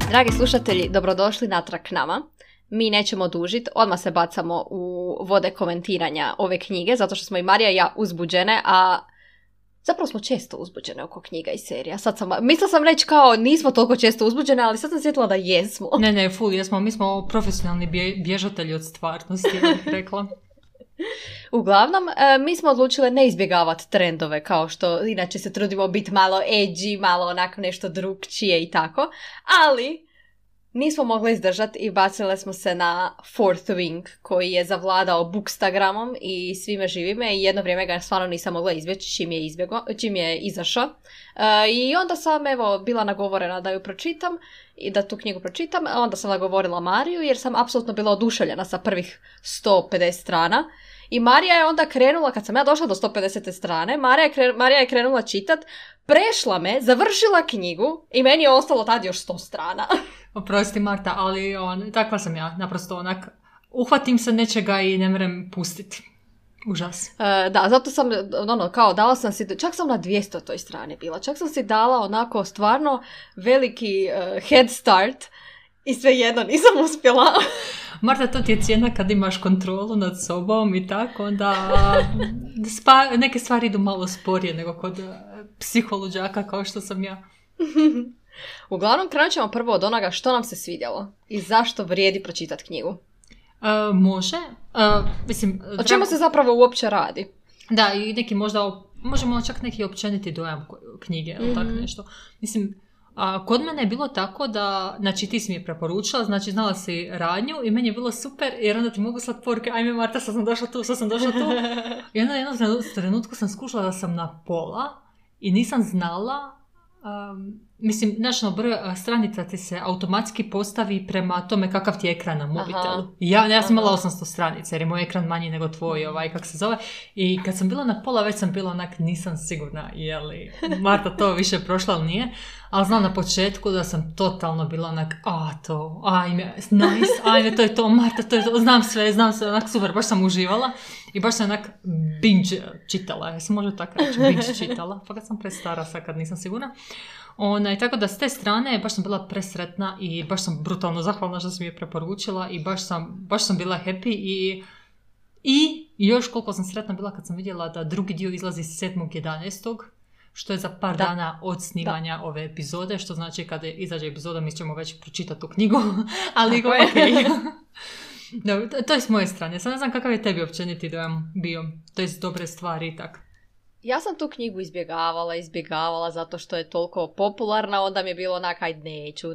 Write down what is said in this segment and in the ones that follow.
Dragi slušatelji, dobrodošli natrag k nama. Mi nećemo dužiti, odmah se bacamo u vode komentiranja ove knjige, zato što smo i Marija i ja uzbuđene, a zapravo smo često uzbuđene oko knjiga i serija. Mislila sam reći kao nismo toliko često uzbuđene, ali sad sam sjetila da jesmo. Ne, full jesmo. Mi smo profesionalni bježatelji od stvarnosti, ja bih rekla. Uglavnom, mi smo odlučile ne izbjegavati trendove kao što inače se trudimo biti malo edgy, malo onako nešto drugčije i tako, ali nismo mogli izdržati i bacile smo se na Fourth Wing koji je zavladao bookstagramom i svime živime i jedno vrijeme ga stvarno nisam mogla izbjeći čim je izašao. I onda sam bila nagovorena da ju pročitam i da tu knjigu pročitam, onda sam nagovorila Mariju jer sam apsolutno bila oduševljena sa prvih 150 strana. I Marija je onda krenula, kad sam ja došla do 150. strane, Marija je krenula čitat, prešla me, završila knjigu i meni je ostalo tad još 100 strana. Oprosti Marta, ali takva sam ja, naprosto onak, uhvatim se nečega i ne mrem pustiti. Užas. Da, zato sam, kao dala sam si, čak sam na 200 toj strani bila, čak sam si dala onako stvarno veliki head start i svejedno nisam uspjela. Marta, to ti je cijena kad imaš kontrolu nad sobom i tako, onda neke stvari idu malo sporije nego kod psiholuđaka kao što sam ja. Uglavnom, krenut ćemo prvo od onoga što nam se svidjelo i zašto vrijedi pročitati knjigu. Može. O čemu se zapravo uopće radi? Da, i neki možemo čak neki općeniti dojam knjige ili tako nešto. Mislim, kod mene je bilo tako da, znači ti si mi je preporučila, znači znala si radnju i meni je bilo super jer onda ti mogu slati poruke, ajme Marta, sad sam došla tu. I onda jednom trenutku sam skušala da sam na pola i nisam znala, broj stranica ti se automatski postavi prema tome kakav ti je ekran na mobitelu. Ja sam imala 800 stranica jer je moj ekran manji nego tvoj, kak se zove. I kad sam bila na pola, već sam bila onak, nisam sigurna je li Marta to više prošla ili nije. Ali znam na početku da sam totalno bila onak, ajme, to je to, Marta, to je to, znam sve, onak super, baš sam uživala. I baš sam onak binge čitala, ja se može tako reći, binge čitala, pa kad sam prestara sad kad nisam sigurna. Tako da s te strane baš sam bila presretna i baš sam brutalno zahvalna što sam je preporučila i baš sam bila happy i još koliko sam sretna bila kad sam vidjela da drugi dio izlazi 7.11. što je za par dana od snimanja ove epizode, što znači kada izađe epizoda mi ćemo već pročitati tu knjigu, ali okej. Da, to je s moje strane. Sad ne znam kakav je tebi općeniti dojam bio, to je dobre stvari i tako. Ja sam tu knjigu izbjegavala zato što je toliko popularna, onda mi je bilo onak, aj neću.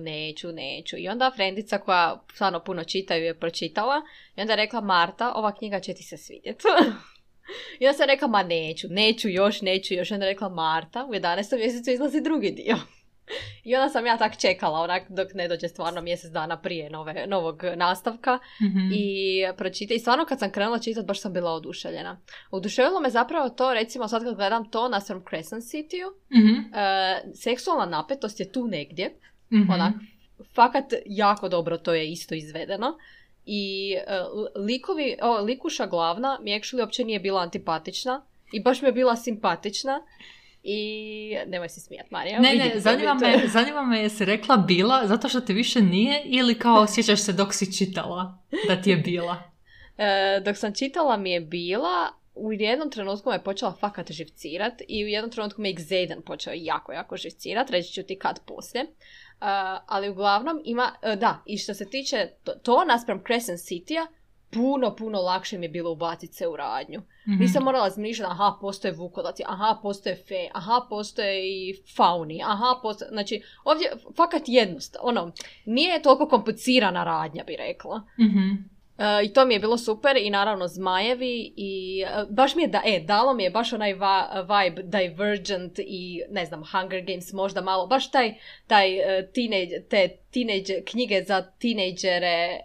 I onda frendica koja stvarno puno čita ju je pročitala i onda je rekla, Marta, ova knjiga će ti se svidjeti. I onda sam rekla, ma neću još. I onda je rekla, Marta, u 11. mjesecu izlazi drugi dio. I onda sam ja tak čekala, onak dok ne dođe stvarno mjesec dana prije novog nastavka. I pročitala. I stvarno kad sam krenula čitati, baš sam bila oduševljena. Oduševilo me zapravo to, recimo sad kad gledam to na Crescent City-u, seksualna napetost je tu negdje. Onak, fakat jako dobro to je isto izvedeno. I likuša glavna mi actually uopće nije bila antipatična i baš mi je bila simpatična. I nemoj se smijat, Marija. Ne, zanima me jesi rekla bila zato što ti više nije ili kao osjećaš se dok si čitala da ti je bila? Dok sam čitala mi je bila, u jednom trenutku me je počela fakat živcirat i u jednom trenutku me Xaden počeo jako živcirat, reći ću ti kad poslije. Ali uglavnom ima, i što se tiče to naspram Crescent City-a, puno lakše mi je bilo ubaciti se u radnju. Nisam morala zmišljati, postoje vukodaci, postoje fe, postoje i fauni, znači ovdje fakat jednostavno, nije toliko komplicirana radnja, bi rekla. I to mi je bilo super i naravno zmajevi i baš mi je, dalo mi je baš onaj vibe Divergent i ne znam, Hunger Games možda malo, baš te teenage knjige za tinejdžere,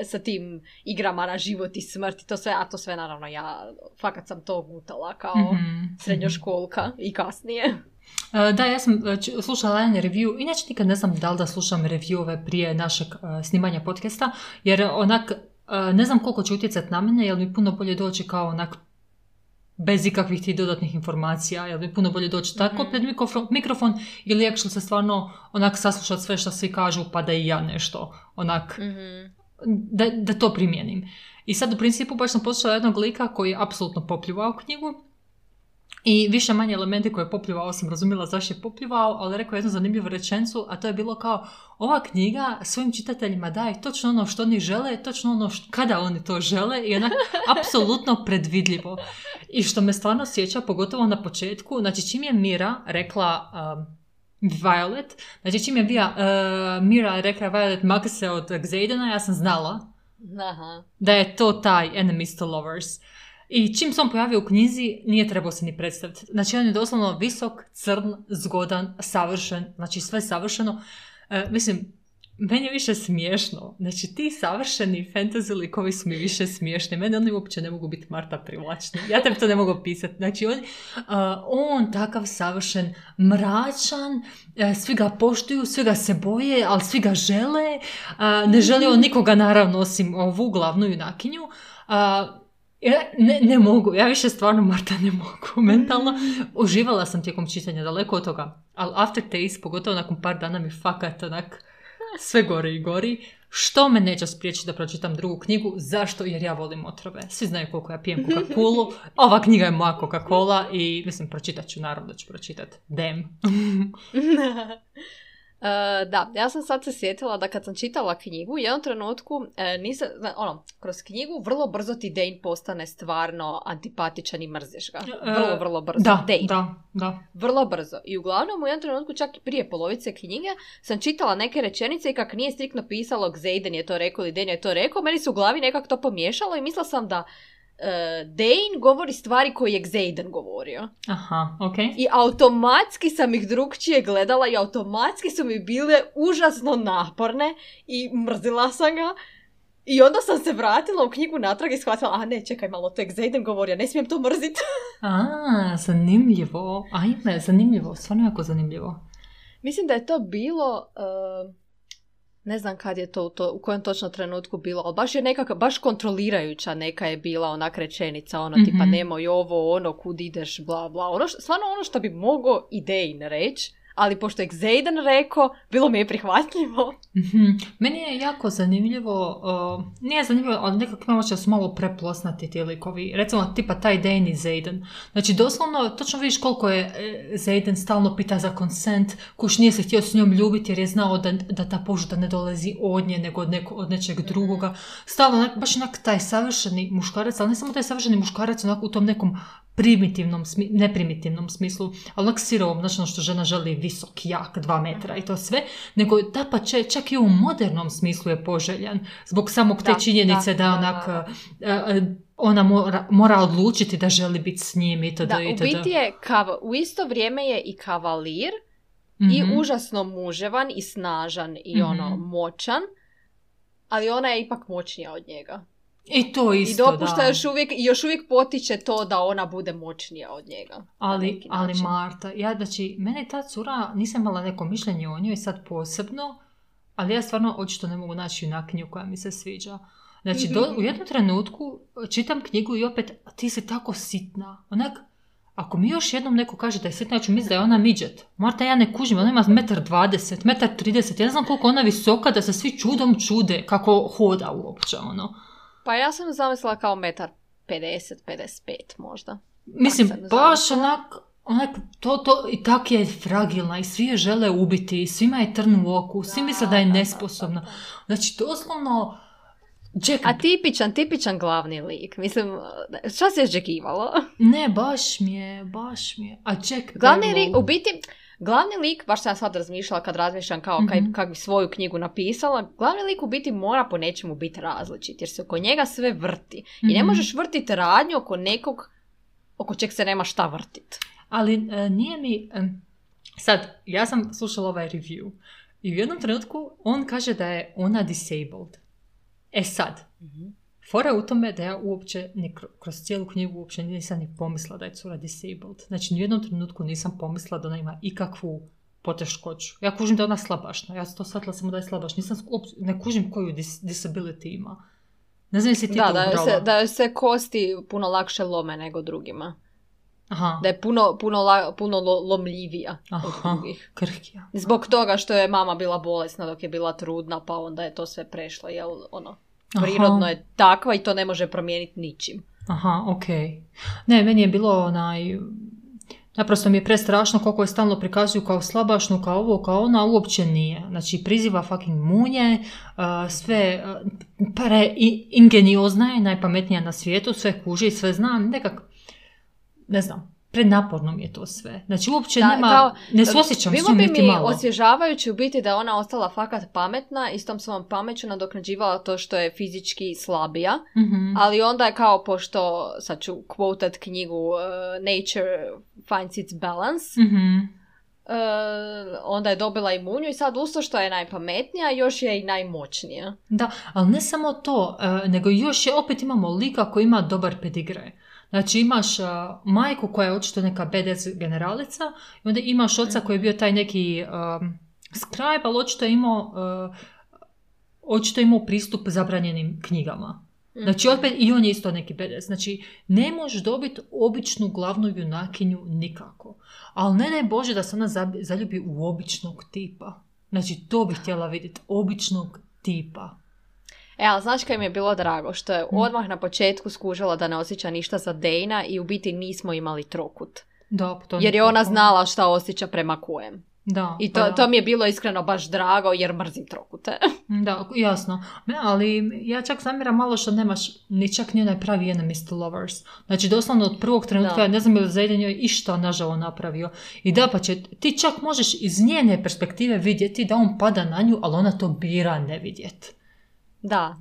sa tim igrama na život i smrt i to sve, a to sve naravno ja fakat sam to gutala kao srednjoškolka i kasnije. Da, ja sam slušala jedan review, inače nikad ne znam da li da slušam reviewove prije našeg snimanja podcasta, jer onak ne znam koliko će utjecati na mene, jer mi puno bolje doći kao onak bez ikakvih ti dodatnih informacija, jer je puno bolje doći tako pred mikrofon ili actually se stvarno onak saslušati sve što svi kažu pa da i ja nešto onak da to primijenim. I sad u principu baš sam poslušala jednog lika koji je apsolutno popljuvao knjigu i više manje elementi koje je popljuvao sam razumjela zašto je popljuvao, ali rekao jednu zanimljivu rečenicu, a to je bilo kao ova knjiga svojim čitateljima daje točno ono što oni žele, točno ono kada oni to žele i onak apsolutno predvidljivo. I što me stvarno sjeća, pogotovo na početku, znači čim je Mira rekla Violet, znači čim je Mira rekla Violet mag se od Xaidena, ja sam znala da je to taj enemies to lovers. I čim se on pojavio u knjizi, nije trebao se ni predstaviti. Znači, on je doslovno visok, crn, zgodan, savršen, znači sve savršeno. Mislim, meni je više smiješno. Znači, ti savršeni fantasy likovi su mi više smiješni. Mene oni uopće ne mogu biti Marta privlačni. Ja tebi to ne mogu pisati. Znači, on takav savršen, mračan, svi ga poštuju, svi ga se boje, ali svi ga žele. Ne želi on nikoga, naravno, osim ovu glavnu junakinju. Ne mogu, ja više stvarno Marta ne mogu mentalno. Uživala sam tijekom čitanja, daleko od toga, ali aftertaste, pogotovo nakon par dana mi fakat onak sve gori i gori, što me neće spriječiti da pročitam drugu knjigu. Zašto? Jer ja volim otrove. Svi znaju koliko ja pijem Coca-Colu, ova knjiga je moja Coca-Cola i mislim pročitat ću, naravno da ću pročitati. Damn. Da, ja sam sad se sjetila da kad sam čitala knjigu, u jednom trenutku kroz knjigu vrlo brzo ti Dane postane stvarno antipatičan i mrziš ga. Vrlo brzo. Da. Vrlo brzo. I uglavnom u jednom trenutku, čak i prije polovice knjige, sam čitala neke rečenice i kak nije striktno pisalo Xaiden je to rekao ili Dane je to rekao, meni se u glavi nekako to pomiješalo i mislila sam da Dane govori stvari koje je Xaiden govorio. Aha, okej. I automatski sam ih drugčije gledala i automatski su mi bile užasno naporne i mrzila sam ga. I onda sam se vratila u knjigu natrag i shvatila, ne, čekaj malo, to je Xaiden govorio, ne smijem to mrziti. Zanimljivo. Ajme, zanimljivo, stvarno jako zanimljivo. Mislim da je to bilo... ne znam kad je to u kojem točno trenutku bilo, ali baš je nekako, baš kontrolirajuća neka je bila onak rečenica, tipa nemoj ovo, kud ideš, bla bla, stvarno ono što bi mogao i Dane reći, ali pošto je Xaiden rekao, bilo mi je prihvatljivo. Meni je jako zanimljivo, nije zanimljivo, ali nekako imamo će su malo preplosnati ti likovi. Recimo, tipa taj Dane i Xaiden. Znači, doslovno, točno vidiš koliko je Xaiden stalno pita za consent, kuš nije se htio s njom ljubiti jer je znao da ta požuda ne dolazi od nje, nego od nečeg drugoga. Stalno, baš onak taj savršeni muškarac, ali ne samo taj savršeni muškarac, onak u tom nekom neprimitivnom smislu, ali onak sirovom, znači ono što žena želi visok, jak, 2 metra i to sve, nego da pa čak i u modernom smislu je poželjan, zbog samog te činjenice da onak ona mora odlučiti da želi biti s njim i tada. U biti je, u isto vrijeme je i kavalir i užasno muževan i snažan i moćan, ali ona je ipak moćnija od njega. I to isto, i dopušta još uvijek potiče to da ona bude moćnija od njega. Ali Marta, znači, mene ta cura, nisam imala neko mišljenje o njoj sad posebno, ali ja stvarno očito ne mogu naći junakinju koja mi se sviđa. Znači, u jednom trenutku čitam knjigu i opet, ti si tako sitna. Onak, ako mi još jednom neko kaže da je sitna, ja ću misliti da je ona midget. Marta, ja ne kužim, ona ima 1,20 m, 1,30 m, ja ne znam koliko ona visoka, da se svi čudom čude kako hoda uopće, Pa ja sam zamislila kao 1,50 m, 55 možda. Mislim, baš onak, to i tak je fragilna i svi je žele ubiti, svima je trn u oku, svi misle da je nesposobna. Znači, doslovno... A tipičan glavni lik. Mislim, šta si očekivalo? Ne, baš mi je. A Jack Glavni lik, baš sam ja sad razmišljala kad razmišljam kao kak bi svoju knjigu napisala, glavni lik u biti mora po nečemu biti različit, jer se oko njega sve vrti. I ne možeš vrtiti radnju oko nekog oko čeg se nema šta vrtiti. Ali nije mi... Sad, ja sam slušala ovaj review i u jednom trenutku on kaže da je ona disabled. Sad, fora u tome da ja uopće, kroz cijelu knjigu uopće nisam ni pomislila da je cura disabled. Znači, ni u jednom trenutku nisam pomislila da ona ima ikakvu poteškoću. Ja kužim da je ona slabašna. Ja sam to shvatila samo da je slabašna. Ne kužim koju disability ima. Ne znam jesi ti to ubrala. Da se kosti puno lakše lome nego drugima. Aha. Da je puno lomljivija od drugih. Krhkija. Zbog toga što je mama bila bolesna dok je bila trudna, pa onda je to sve prešlo, jel, prirodno je takva i to ne može promijeniti ničim. Aha, okej. Ne, meni je bilo naprosto mi je prestrašno koliko je stalno prikazuju kao slabašnu, kao ovo, kao ona, uopće nije. Znači, priziva fucking munje, sve ingeniozna je, najpametnija na svijetu, sve kuži, sve zna, ne znam, prenaporno mi je to sve. Znači, uopće ne suosjećam s njom niti malo. Bilo bi mi osvježavajući u biti da je ona ostala fakat pametna i s tom svojom pameću nadoknađivala to što je fizički slabija, ali onda je kao, pošto, sad ću quotat knjigu Nature Finds Its Balance, onda je dobila i munju i sad usto što je najpametnija, još je i najmoćnija. Da, ali ne samo to, nego još opet imamo lika koji ima dobar pedigre. Znači imaš majku koja je očito neka badass generalica i onda imaš oca koji je bio taj neki scribe, ali očito imao pristup zabranjenim knjigama. Znači opet i on je isto neki badass. Znači ne možeš dobiti običnu glavnu junakinju nikako. Ali ne Bože da se ona zaljubi u običnog tipa. Znači to bih htjela vidjeti, običnog tipa. Ali znaš kaj mi je bilo drago? Što je odmah na početku skužila da ne osjeća ništa za Dejna i u biti nismo imali trokut. Da, jer je ona znala šta osjeća prema kojem. Da, i to mi je bilo iskreno baš drago jer mrzim trokute. Da, jasno. Ali ja čak zamjeram malo što nemaš ni čak ni onaj pravi enemies to lovers. Znači doslovno od prvog trenutka ne znam je li Zayden joj išta nažalost napravio. I da pa će, ti čak možeš iz njene perspektive vidjeti da on pada na nju, ali ona to bira ne vidjeti. Da.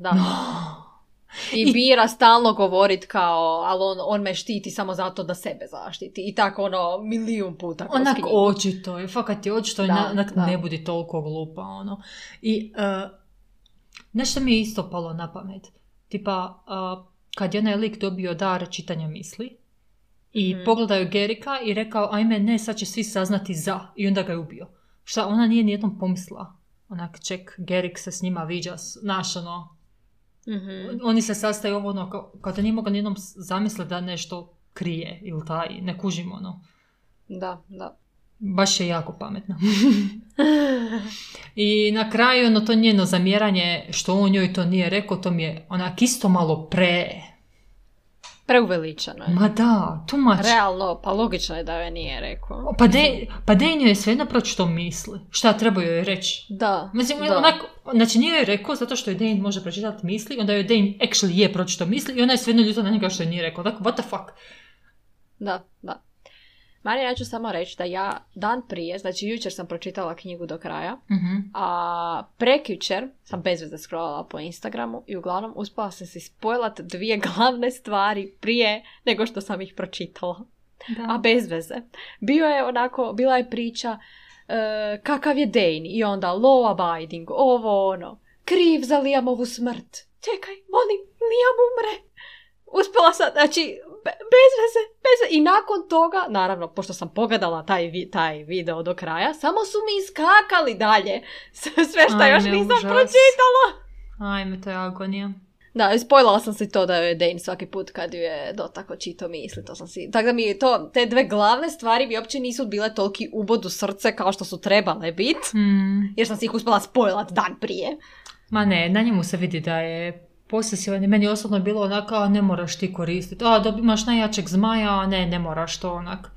I bira stalno govorit kao, ali on me štiti samo zato da sebe zaštiti. I tako milijun puta kroz knjigu. Očito je, fakat je očito ne budi toliko glupa. I nešto mi je isto palo na pamet. Tipa, kad je onaj lik dobio dar čitanja misli i pogledaju Gerika i rekao, ajme ne, sad će svi saznati za. I onda ga je ubio. Šta, ona nije nijednom pomislila. Onak, Gerik se s njima viđa, oni se sastaju kao da nije mogao nijednom zamisliti da nešto krije ili taj, ne kužimo Da. Baš je jako pametno. I na kraju to njeno zamjeranje što on njoj to nije rekao, to mi je onak isto malo preuveličano je. Ma da, too much. Realno, pa logično je da joj nije rekao. Pa Dane je svejedno pročito misli. Šta treba joj reći? Da. Mislim, znači nije joj rekao zato što je Dane može pročitati misli, onda joj Dane actually je pročito misli i ona je svejedno ljuta na njega što je nije rekao. Dakle, what the fuck? Da. Marija, ja ću samo reći da ja dan prije, znači jučer sam pročitala knjigu do kraja, a prekjučer sam bez veze scrollala po Instagramu i uglavnom uspjela sam si spojlat 2 glavne stvari prije nego što sam ih pročitala. Da. A bez veze. Bila je priča kakav je Dane i onda law abiding, kriv za Liamovu smrt. Čekaj, molim, Liam umre. Uspjela sam, znači, bez veze. I nakon toga, naravno, pošto sam pogledala taj video do kraja, samo su mi iskakali dalje sve što još nisam pročitala. Ajme, to je agonija. Da, spojlala sam si to da je Dane svaki put kad ju je dotako čito misli, to sam si... Tako da mi te 2 glavne stvari mi uopće nisu bile toliki ubod u srce kao što su trebale biti, jer sam si ih uspjela spojlat dan prije. Ma ne, na njemu se vidi da je posesivan. Meni osobno je bilo onako, ne moraš ti koristiti. Imaš najjačeg zmaja, ne moraš to onak.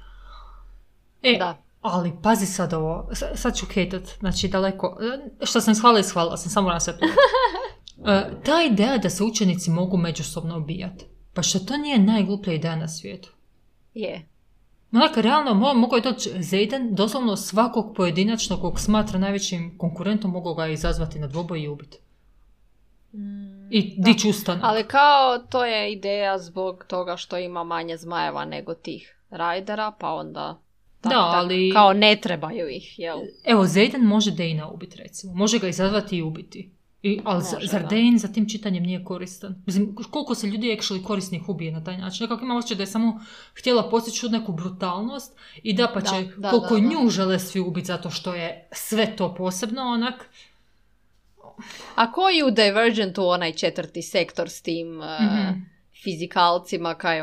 Da. Ali pazi sad ovo, sad ću hejtat, znači daleko, što sam ishvala sam, samo na sve ta ideja da se učenici mogu međusobno ubijati, pa što to nije najgluplja ideja na svijetu? Je. Onak, realno, mogu je doći Zayden, doslovno svakog pojedinačnog kog smatra najvećim konkurentom, mogu ga izazvati na dvoboj i ubiti. I dići ustanak. Ali kao to je ideja zbog toga što ima manje zmajeva nego tih rajdera, pa onda ali... kao ne trebaju ih, jel? Evo, Zayden može Dana ubiti, recimo. Može ga izazvati i ubiti. Ali zar Dane za tim čitanjem nije koristan? Mislim, koliko se ljudi actually korisnih ubije na taj način? Nekako ima osjećaj da je samo htjela postići neku brutalnost i da pa će koliko nju žele svi ubiti zato što je sve to posebno, onak... A koji u Divergentu onaj 4. sektor s tim fizikalcima, kaj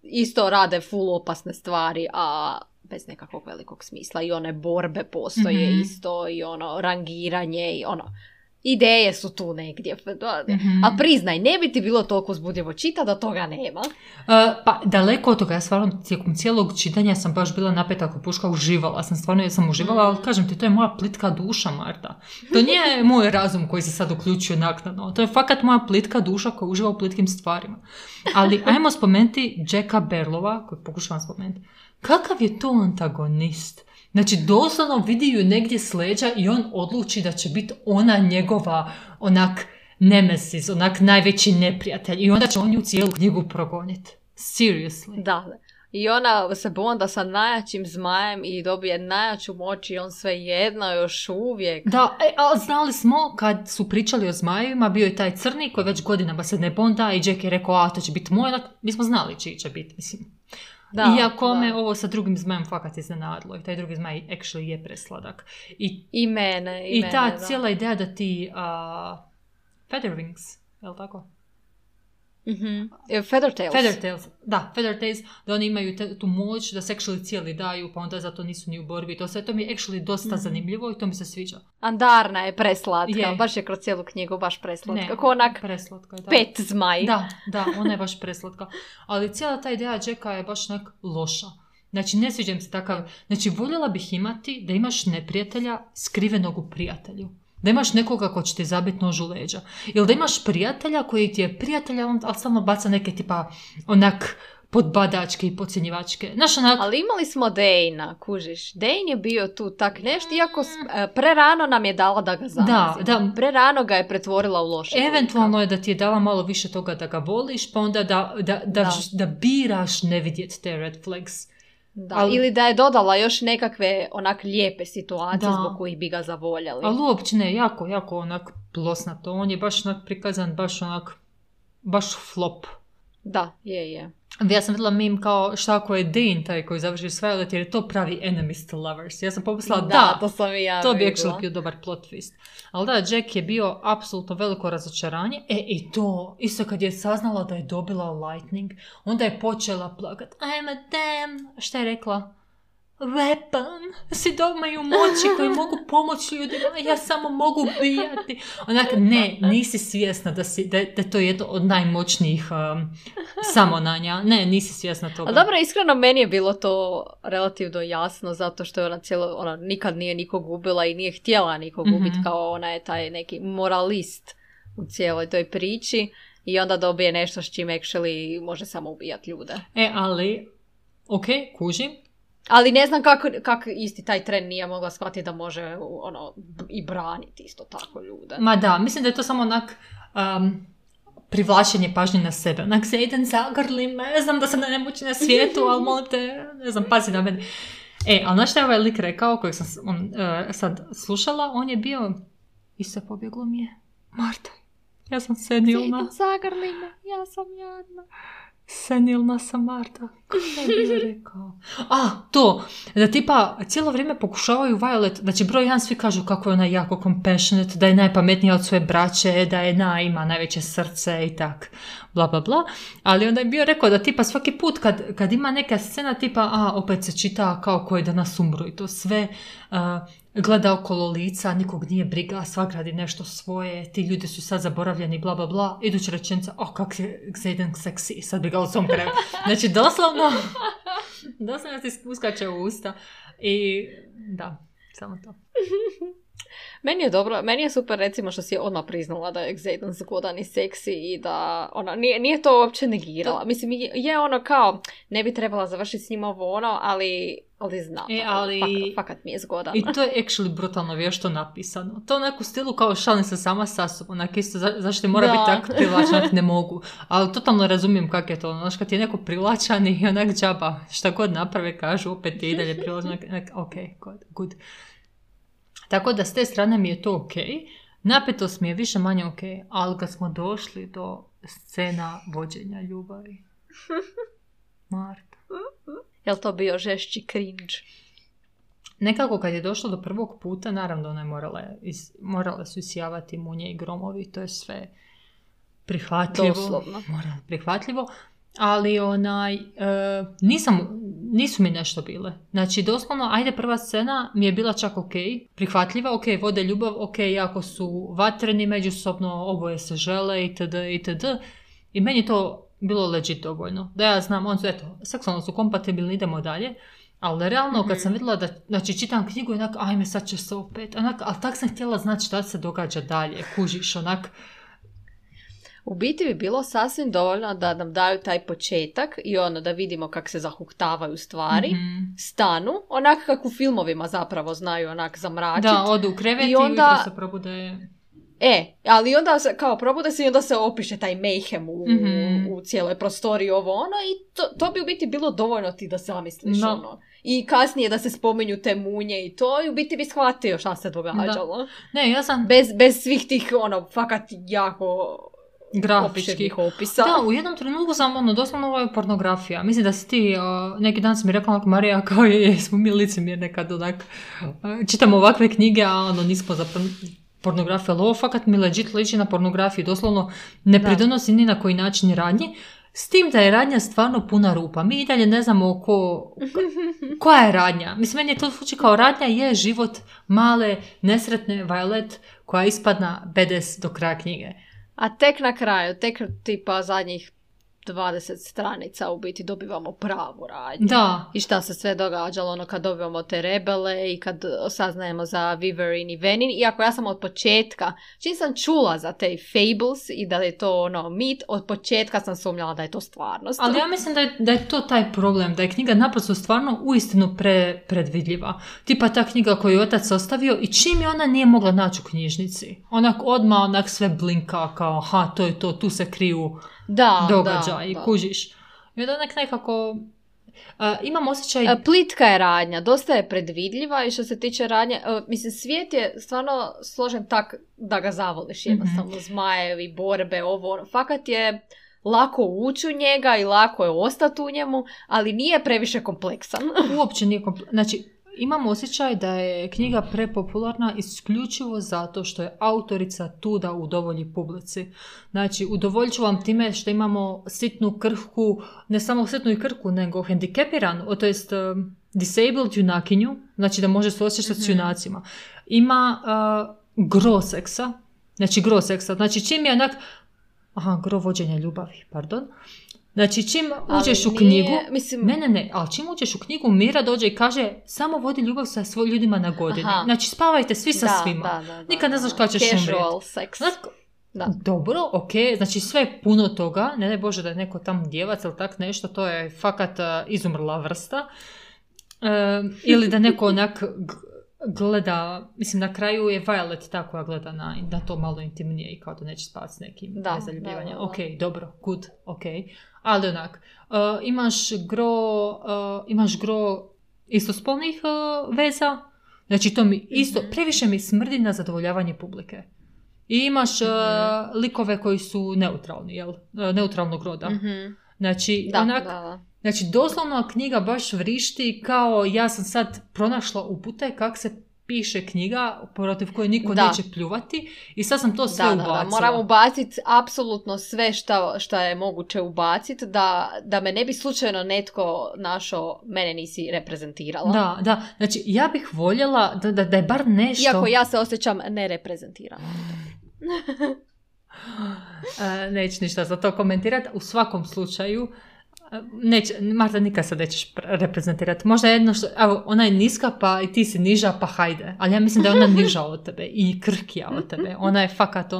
isto rade full opasne stvari, a bez nekakvog velikog smisla. I one borbe postoje isto, i rangiranje, i ideje su tu negdje. A priznaj, ne bi ti bilo toliko uzbudljivo čita da toga nema? Pa daleko od toga, ja stvarno tijekom cijelog čitanja sam baš bila napeta ako puška, uživala sam, stvarno ja sam uživala, ali kažem ti, to je moja plitka duša, Marta. To nije moj razum koji se sad uključuje naknadno, to je fakat moja plitka duša koja uživa u plitkim stvarima. Ali ajmo spomenuti Jacka Berlova, kojeg pokušavam spomenuti. Kakav je to antagonist? Znači, doslovno vidi ju negdje s leđa i on odluči da će biti ona njegova, onak, nemesis, onak najveći neprijatelj. I onda će on ju cijelu knjigu progoniti. Seriously. Da. I ona se bonda sa najjačim zmajem i dobije najjaču moć i on sve jedno još uvijek. Da, ali znali smo kad su pričali o zmajevima, bio je taj crni koji već godinama se ne bonda i Jack je rekao, to će biti moj, mi smo znali čiji će biti, mislim. Iako me ovo sa drugim zmajem fakat iznenadilo i taj drugi zmaj actually je presladak. I mene. I ta cijela ideja da ti Featherwings, je li tako? Feathertails. Da, Feathertails, da oni imaju tu moć da se actually cijeli daju, pa onda zato nisu ni u borbi. To mi je actually dosta zanimljivo i to mi se sviđa. Andarna je preslatka, baš je kroz cijelu knjigu baš preslatka. Ne, kako onak preslatka je, da. 5 zmaj. Da, ona je baš preslatka. Ali cijela ta ideja Jacka je baš onak loša. Znači, ne sviđam se takav. Znači, voljela bih imati da imaš neprijatelja skrivenog u prijatelju. Da imaš nekoga ko će ti zabiti nož u leđa. Ili da imaš prijatelja koji ti je prijatelja, ali stalno baca neke tipa onak podbadačke i podcjenjivačke. Ali imali smo Dejna, kužiš. Dejn je bio tu tak nešto, iako prerano nam je dala da ga zamazimo. Da. Prerano ga je pretvorila u loše. Eventualno je da ti je dala malo više toga da ga voliš, pa onda da biraš ne vidjeti te red flags. Da, ili da je dodala još nekakve onak lijepe situacije zbog kojih bi ga zavoljeli. Ali uopće ne, jako onak plosnato. On je baš onak prikazan, baš flop. Da, je. Ja sam vidjela meme kao šta ako je Dean taj koji završi Violet, jer je to pravi enemies to lovers. Ja sam pomislila to sam i ja to bi actually bio dobar plot twist. Ali da, Jack je bio apsolutno veliko razočaranje. I to, isto kad je saznala da je dobila lightning, onda je počela plakat. I'm a damn, šta je rekla? Weapon, svi imaju moći koji mogu pomoći ljudima, ja samo mogu bijati. Onak, ne, nisi svjesna da to je jedno od najmoćnijih samonanja. Ne, nisi svjesna toga. Ali dobro, iskreno, meni je bilo to relativno jasno, zato što je ona nikad nije nikog ubila i nije htjela nikog ubiti, kao ona je taj neki moralist u cijeloj toj priči i onda dobije nešto s čim actually može samo ubijati ljude. Ali, kužim. Ali ne znam kako isti taj tren nije mogla shvatiti da može i braniti isto tako ljude. Ma da, mislim da je to samo onak privlačenje pažnje na sebe. Onak se jedan zagrli me, znam da sam najnemoćniji na svijetu, ali molim te, ne znam, pazi na mene. Ali znaš šta je ovaj lik rekao, kojeg sam sad slušala, on je bio, isto pobjeglo mi je, Marta, ja sam senilna. Zagrli me, ja sam jadna. Senilna sam, Marta. Kako je bio rekao? To. Da tipa cijelo vrijeme pokušavaju Violet, znači broj 1 svi kažu kako je ona jako compassionate, da je najpametnija od svoje braće, da je ima najveće srce i tak. Bla, bla, bla. Ali onda je bio rekao da tipa svaki put kad ima neka scena tipa, opet se čita kao koji danas umru i to sve gleda okolo lica, nikog nije briga, svak radi nešto svoje, ti ljudi su sad zaboravljeni, bla, bla, bla. Iduća rečenica, kak je Xaden seksi, sad bi ga u svom kraju. Znači, doslovno ti uskače u usta. I da, samo to. Meni je dobro, meni je super recimo što si je odmah priznala da je Xaden zgodan i seksi i da ona nije to uopće negirala. Mislim, je kao, ne bi trebala završiti s njim ali znam. Fakat mi je zgodan. I to je actually brutalno vješto napisano. To onak u stilu kao šalim se sama sa sobom. Onak isto zašto mora biti tako privlačan, ne mogu. Ali totalno razumijem kak je to. Znaš, kad je neko privlačan i onak džaba, šta god naprave, kažu, opet je i dalje privlačan. Ok, good. Tako da s te strane mi je to ok. Napetost mi je više manje ok. Ali kad smo došli do scena vođenja ljubavi. Marta. Je li to bio žešći cringe? nekako kad je došlo do prvog puta, naravno ona je morale su isijavati munje i gromovi, to je sve prihvatljivo. Doslovno. Prihvatljivo, ali nisu mi nešto bile. Znači, doslovno, ajde, prva scena mi je bila čak ok, prihvatljiva, ok, vode ljubav, ok, jako su vatreni međusobno, oboje se žele, itd., itd. I meni to bilo legit dovoljno. Da ja znam, seksualno su kompatibilni, idemo dalje. Ali realno, kad sam vidjela da, znači, čitam knjigu i onak, ajme, sad će se opet, ali tak sam htjela znati šta se događa dalje, kužiš, onak. U biti bi bilo sasvim dovoljno da nam daju taj početak i da vidimo kako se zahuktavaju stvari, stanu, onak kako u filmovima zapravo znaju onak zamračiti. Da, odu u krevet i ujutro se probude. Ali onda se, kao probude se i onda se opiše taj mayhem u cijeloj prostoriji i to bi u biti bilo dovoljno ti da zamisliš I kasnije da se spominju te munje i to i u biti bi shvatio šta se događalo. Da. Ne, ja sam... Bez svih tih, fakat jako... grafičkih opisa. Da, u jednom trenutku sam, doslovno ovo je pornografija. Mislim da si ti, neki dan si mi rekla, Marija, kao smo mi licemjer nekad, čitamo ovakve knjige, a nismo za pornografiju, ali ovo fakat mi legit liči na pornografiju, doslovno ne pridonosi ni na koji način radnji, s tim da je radnja stvarno puna rupa. Mi i dalje ne znamo koja je radnja. Mislim, meni je to slučaj kao radnja je život male, nesretne Violet koja ispadna BDS do kraja knjige. A tek na kraju, tek tipa zadnjih 20 stranica u biti dobivamo pravu radnju. Da. I šta se sve događalo kad dobivamo te rebele i kad saznajemo za Wyvern i Venin. Iako ja sam od početka, čim sam čula za te fables i da je to mit, od početka sam sumnjala da je to stvarnost. Ali ja mislim da je to taj problem, da je knjiga naprosto stvarno uistinu predvidljiva. Tipa ta knjiga koju je otac ostavio i čim je ona nije mogla naći u knjižnici. Onak sve blinka kao, to je to, tu se kriju događaj i kužiš. I onda nekako imam osjećaj... Plitka je radnja, dosta je predvidljiva i što se tiče radnje, mislim, svijet je stvarno složen tak da ga zavoliš jednostavno, zmajevi, borbe, fakat je lako ući u njega i lako je ostati u njemu, ali nije previše kompleksan. Uopće nije kompleksan. Znači, imam osjećaj da je knjiga prepopularna isključivo zato što je autorica tu da udovolji publici. Znači, udovoljit ću vam time što imamo sitnu krhku, ne samo sitnu i krhku, nego hendikepiranu, to jest disabled junakinju, znači da može suosjećati s junacima. Ima gro seksa, znači čim je onak, gro vođenja ljubavi, pardon. Znači, čim uđeš u knjigu... ali čim uđeš u knjigu, Mira dođe i kaže samo vodi ljubav sa svojim ljudima na godini. Znači, spavajte svi sa svima. Nikad ne znaš kada ćeš umreti. Casual sex. Dobro, ok, znači sve je puno toga. Ne daj Bože da je neko tam djevac ili tak nešto, to je fakat izumrla vrsta. Ili da neko onak gleda, mislim, na kraju je Violet ta koja gleda na to malo intimnije i kao da neće spavati s nekim nezaljubljivanjem. Ok, dobro, good, ok. Ali onak, imaš gro istospolnih veza, znači to mi isto, previše mi smrdi na zadovoljavanje publike. I imaš likove koji su neutralni, neutralnog roda. Znači, znači, doslovno knjiga baš vrišti kao ja sam sad pronašla upute kak se piše knjiga protiv koje niko neće pljuvati i sad sam to sve ubacila. Moram ubaciti apsolutno sve šta je moguće ubaciti da me ne bi slučajno netko našao, mene nisi reprezentirala. Da, znači ja bih voljela da je bar nešto... Iako ja se osjećam nereprezentirana. Neću ništa za to komentirati. U svakom slučaju Marta, nikad se nećeš reprezentirati. Možda jedno što, ona je niska pa i ti si niža pa hajde. Ali ja mislim da je ona niža od tebe i krhkija od tebe. Ona je fakat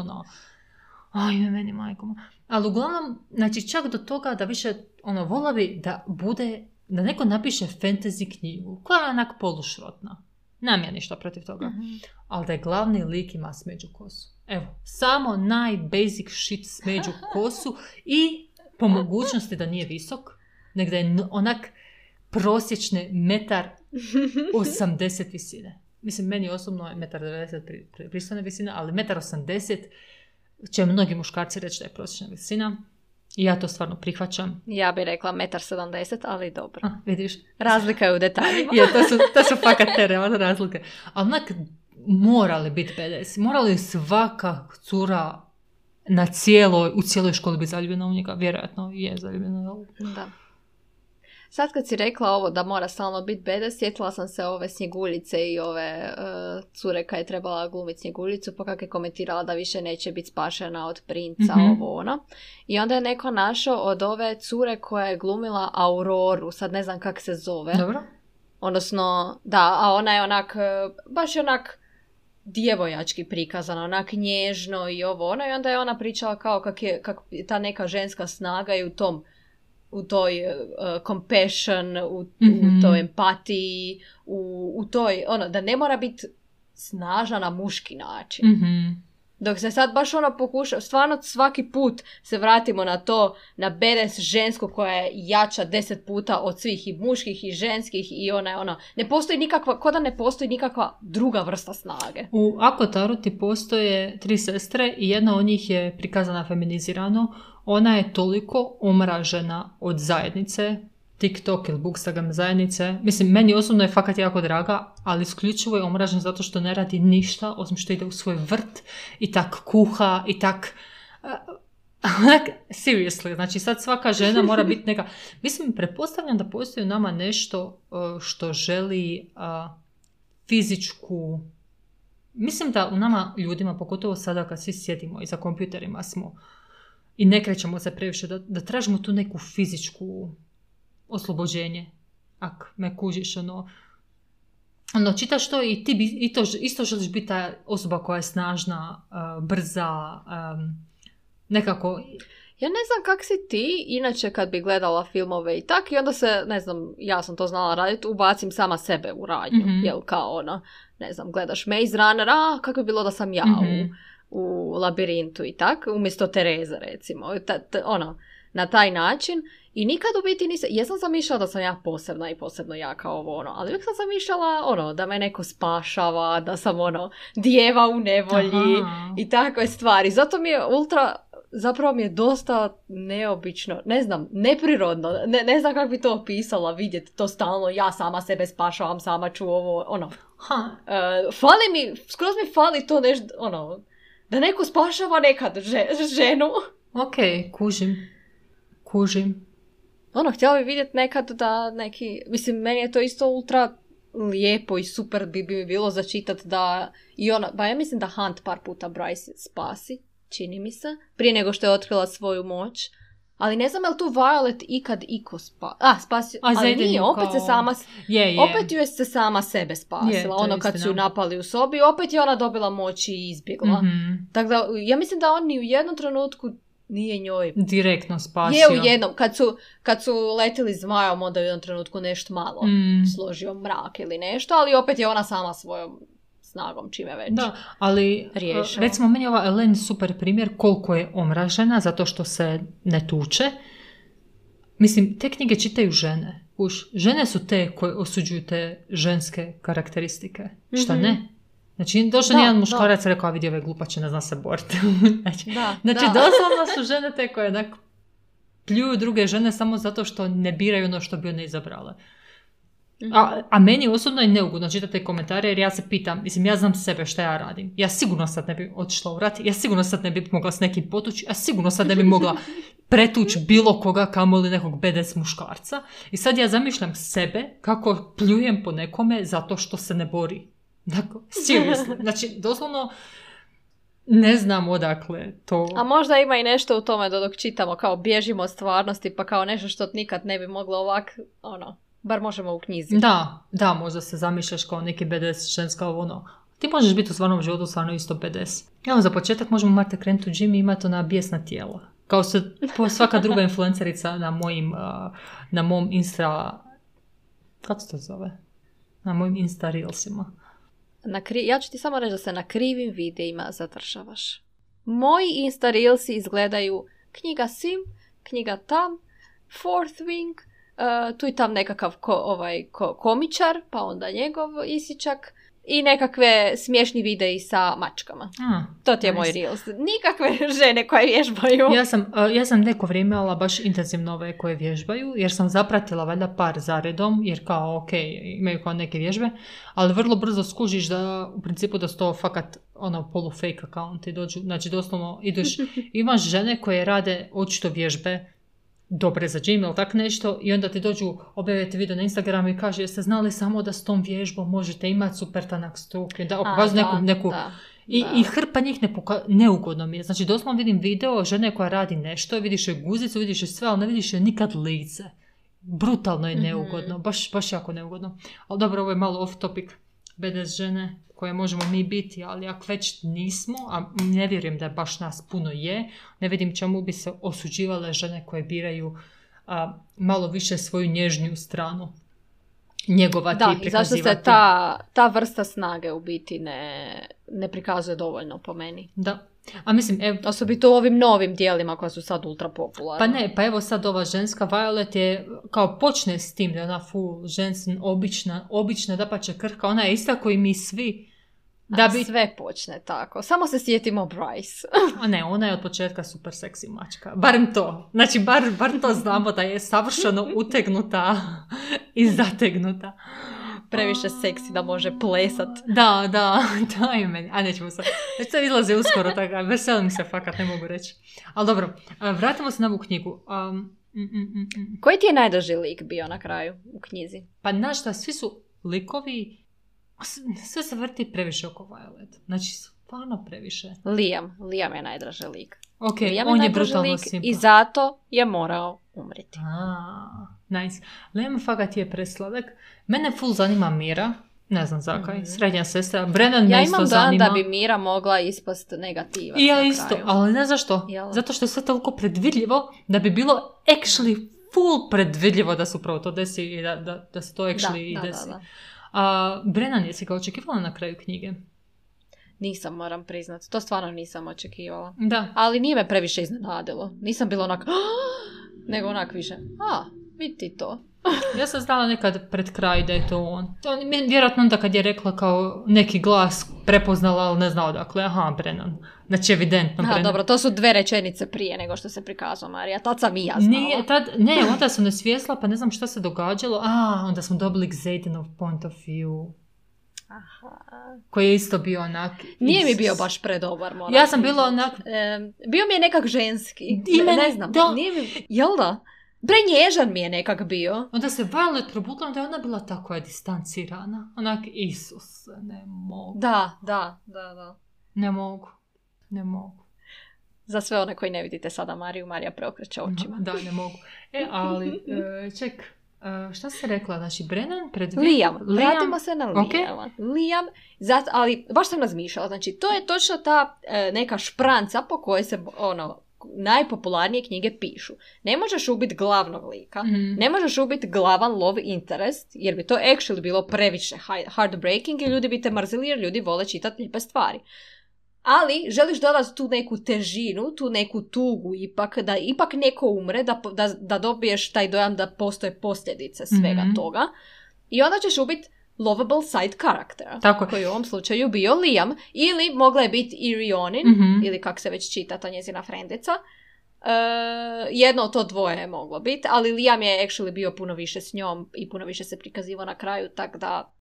meni majko. Ali uglavnom, znači čak do toga da više vola bi da bude, da neko napiše fantasy knjigu koja je onak polušrotna. Nemam ja ništa protiv toga. Ali da je glavni lik ima smeđu kosu. Evo, samo najbasic shit smeđu kosu i po mogućnosti da nije visok, nego da je onak prosječne 1,80 m visine. Mislim, meni osobno je 1,90 m pristojna visina, ali 1,80 m će mnogi muškarci reći da je prosječna visina. I ja to stvarno prihvaćam. Ja bih rekla 1,70 m, ali dobro. Vidiš? Razlika je u detaljima. Je, to su fakat te realne razlike. Ali onak, morali biti BDS. Morali svaka cura u cijeloj školi biti zaljubljena u njega. Vjerojatno je zaljubljena. Da. Sad kad si rekla ovo da mora stalno biti BDS, sjetila sam se ove Snjeguljice i ove cure kad je trebala glumiti Snjeguljicu, pa kako je komentirala da više neće biti spašena od princa, ovo ono. I onda je neko našao od ove cure koja je glumila Auroru, sad ne znam kak se zove. Dobro. Odnosno, da, a ona je onak, baš je onak djevojački prikazana, onak nježno i ovo ono. I onda je ona pričala kao kak je ta neka ženska snaga i u toj compassion, u toj empatiji, u toj, ono, da ne mora biti snažna na muški način. Dok se sad baš ono pokuša, stvarno svaki put se vratimo na to, na BDS žensku koja je jača 10 puta od svih i muških i ženskih i ne postoji nikakva, ko da ne postoji nikakva druga vrsta snage. U Akotaru ti postoje 3 sestre i jedna od njih je prikazana feminizirano. Ona je toliko omražena od zajednice, TikTok ili Bookstagram zajednice. Mislim, meni osobno je fakat jako draga, ali isključivo je omražena zato što ne radi ništa, osim što ide u svoj vrt i tak kuha i tak... seriously, znači sad svaka žena mora biti neka... Mislim, pretpostavljam da postoji u nama nešto što želi fizičku... Mislim da u nama ljudima, pogotovo sada kad svi sjedimo i za kompjuterima smo i ne krećemo se previše, da tražimo tu neku fizičku oslobođenje. Ak me kužiš, čitaš to i ti isto želiš biti ta osoba koja je snažna, brza, nekako... Ja ne znam kak si ti, inače kad bi gledala filmove i tak, i onda se, ne znam, ja sam to znala raditi, ubacim sama sebe u radnju, jel kao ne znam, gledaš Maze Runner, kako bi bilo da sam ja u labirintu i tak, umjesto Tereze recimo, na taj način. I nikad u biti nisam, jesam zamišljala da sam ja posebna i posebno jaka ali uvijek sam zamišljala da me neko spašava, da sam djeva u nevolji i takve stvari. Zato mi je zapravo mi je dosta neobično, ne znam, neprirodno, ne znam kako bi to opisala, vidjeti to stalno, ja sama sebe spašavam, sama ću ovo, skroz mi fali to nešto, da neko spašava nekad ženu. Ok, kužim. Htjela bi vidjeti nekad da neki... Mislim, meni je to isto ultra lijepo i super bi mi bilo začitati da... ja mislim da Hunt par puta Bryce spasi, čini mi se, prije nego što je otkrila svoju moć. Ali ne znam je li tu Violet ikad spasio... Ali nije, opet se sama... Opet ju je se sama sebe spasila. Kad su ju napali u sobi, opet je ona dobila moć i izbjegla. Tako da, ja mislim da on ni u jednom trenutku nije njoj direktno spasio. Je u jednom, kad su letili zmajom, onda u jednom trenutku nešto malo složio mrak ili nešto, ali opet je ona sama svojom snagom čime već. Da, ali recimo meni je ova Elaine super primjer koliko je omražena zato što se ne tuče. Mislim, te knjige čitaju žene. Žene su te koje osuđuju te ženske karakteristike. Šta ne? Znači, došao nijedan muškarac i rekao, vidi ove glupače, ne zna se boriti. Znači, doslovno su žene te koje pljuju druge žene samo zato što ne biraju ono što bi one izabrale. A meni osobno je neugodno čitati komentare jer ja se pitam, mislim, ja znam sebe šta ja radim. Ja sigurno sad ne bi otišla u rat, ja sigurno sad ne bi mogla s nekim potući, ja sigurno sad ne bi mogla pretući bilo koga, kamoli nekog BDS muškarca. I sad ja zamišljam sebe kako pljujem po nekome zato što se ne bori. Dakle, seriously. Znači, doslovno ne znam odakle to... A možda ima i nešto u tome da dok čitamo kao bježimo od stvarnosti pa kao nešto što nikad ne bi moglo ovak, bar možemo u knjizi. Da, možda se zamišljaš kao neki BDS ženska Ti možeš biti u stvarnom životu stvarno isto BDS. Evo, za početak možemo Marta krenuti u gym i imati bijesna tijela. Kao se svaka druga influencerica na mom Insta... Kako se to zove? Na mojim Insta Reelsima. Ja ću ti samo reći da se na krivim videima zadržavaš. Moji Insta Reelsi izgledaju knjiga Sim, knjiga Tam, Fourth Wing, tu i tam nekakav komičar, pa onda njegov isičak i nekakve smiješni videi sa mačkama. To ti je moj Reels. Nikakve žene koje vježbaju. Ja sam neko vrijeme imala baš intenzivno ove koje vježbaju, jer sam zapratila valjda par zaredom, jer kao ok, imaju kao neke vježbe, ali vrlo brzo skužiš da u principu da su to fakat polu fake accounti dođu, znači doslovno ideš, imaš žene koje rade očito vježbe dobre za gym ili tak nešto i onda ti dođu objaviti video na Instagramu i kaže jeste znali samo da s tom vježbom možete imati super tanak stuk, da pokazuju neku I hrpa njih neugodno mi je. Znači doslovno vidim video žene koja radi nešto, vidiš joj guzicu, vidiš joj sve, ali ne vidiš joj nikad lice. Brutalno je neugodno, baš jako neugodno. Ali dobro, ovo je malo off topic, BDS žene koje možemo mi biti, ali ako već nismo, a ne vjerujem da baš nas puno je, ne vidim čemu bi se osuđivale žene koje biraju malo više svoju nježniju stranu njegovati i prikazivati. Da, i zašto se ta vrsta snage u biti ne prikazuje dovoljno po meni. Da. A mislim, osobito u ovim novim dijelima koja su sad ultra popularna. Pa evo sad ova ženska Violet je kao počne s tim da je ona full ženska, obična, dapače krhka, ona je ista koji mi svi. Sve počne tako. Samo se sjetimo Bryce. A ne, ona je od početka super seksi mačka. Barem to. Znači, bar to znamo da je savršeno utegnuta i zategnuta. Previše seksi da može plesat. Da je meni. A nećemo sad. Već se izlaze uskoro, tako, veselim se fakat, ne mogu reći. Ali dobro, vratimo se na ovu knjigu. Koji ti je najdraži lik bio na kraju u knjizi? Pa znaš šta, svi su likovi, sve se vrti previše oko Violet. Znači, stvarno previše. Liam je najdraži lik. Ok, on je brutalno simpa. I zato je morao umriti. Nice. Liam fakat je presladak. Mene full zanima Mira. Ne znam zakaj. Srednja sestra. Brennan me isto zanima. Ja imam da bi Mira mogla ispast negativac. I ja isto, ali ne zašto. Zato što je sve toliko predvidljivo da bi bilo actually full predvidljivo da se upravo to desi i da se to actually desi. Brennan, jesi ga očekivala na kraju knjige? Nisam, moram priznat. To stvarno nisam očekivala. Da. Ali nije me previše iznenadilo. Nisam bila onak, nego onak više, vidi to. Ja sam znala nekad pred kraj da je to on. Vjerojatno onda kad je rekla kao neki glas prepoznala, ali ne znao dakle, Brennan. Znači evidentno Brennan. Dobro, to su 2 rečenice prije nego što se prikazao Marija. Tad sam i ja znala. Onda sam ne svjesla, pa ne znam šta se događalo. Onda smo dobili Xadenov point of view. Koji je isto bio onak... Nije mi bio baš predobar, moram. Ja sam bila onak... bio mi je nekak ženski. Ne znam. Nije mi... Jel da? Prenježan mi je nekak bio. Onda se Violet probudila, da je ona bila tako je distancirana. Onak, Isus, ne mogu. Da. Ne mogu. Za sve one koji ne vidite sada Marija preokreće očima. Da, ne mogu. Ali, ček, šta si rekla? Znači, Brennan Liam. Vratimo se na Liama. Liam, ali baš sam razmišljala. Znači, to je točno ta neka špranca po kojoj se, najpopularnije knjige pišu. Ne možeš ubiti glavnog lika, ne možeš ubiti glavan love interest, jer bi to actually bilo previše heartbreaking i ljudi bi te mrzili jer ljudi vole čitati lijepe stvari. Ali želiš dodati tu neku težinu, tu neku tugu ipak, da ipak neko umre, da dobiješ taj dojam da postoje posljedice svega toga. I onda ćeš ubiti lovable side karaktera, koji u ovom slučaju bio Liam, ili mogla je biti Irionin, ili kak se već čita ta njezina frendica. Jedno od to dvoje je moglo biti, ali Liam je actually bio puno više s njom i puno više se prikazivao na kraju, tako da...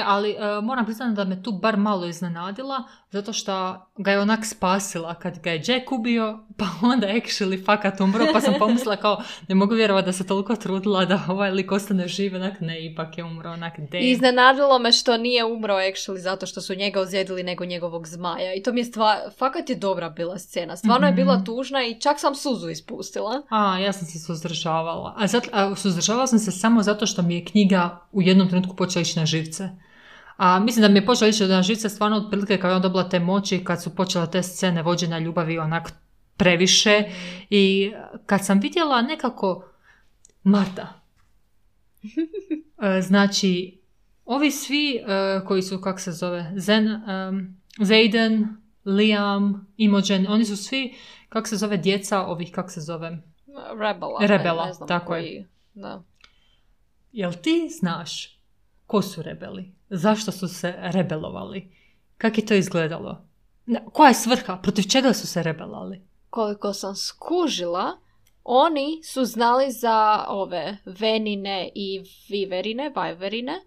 Ali moram priznati da me tu bar malo iznenadila, zato što ga je onak spasila kad ga je Jack ubio, pa onda actually fakat umro, pa sam pomislila kao, ne mogu vjerovati da se toliko trudila da ovaj lik ostane živ, onak ne, ipak je umro, onak damn. Iznenadilo me što nije umro actually zato što su njega ozlijedili nego njegovog zmaja i to mi je fakat je dobra bila scena, stvarno je bila tužna i čak sam suzu ispustila. Ja sam se suzdržavala, suzdržavala sam se samo zato što mi je knjiga u jednom trenutku počela ići na živce. Mislim da mi je počela ići na živce stvarno otprilike kad je on dobila te moći, kad su počela te scene vođenja ljubavi onak previše i kad sam vidjela nekako Marta. Znači, ovi svi koji su, kak se zove, Xaden, Liam, Imogen, oni su svi, kak se zove, djeca ovih, kak se zove? Rebela, ne znam tako koji, je. Da. Jel ti znaš ko su rebeli? Zašto su se rebelovali? Kako je to izgledalo? Koja je svrha? Protiv čega su se rebelali? Koliko sam skužila, oni su znali za ove venine i vajverine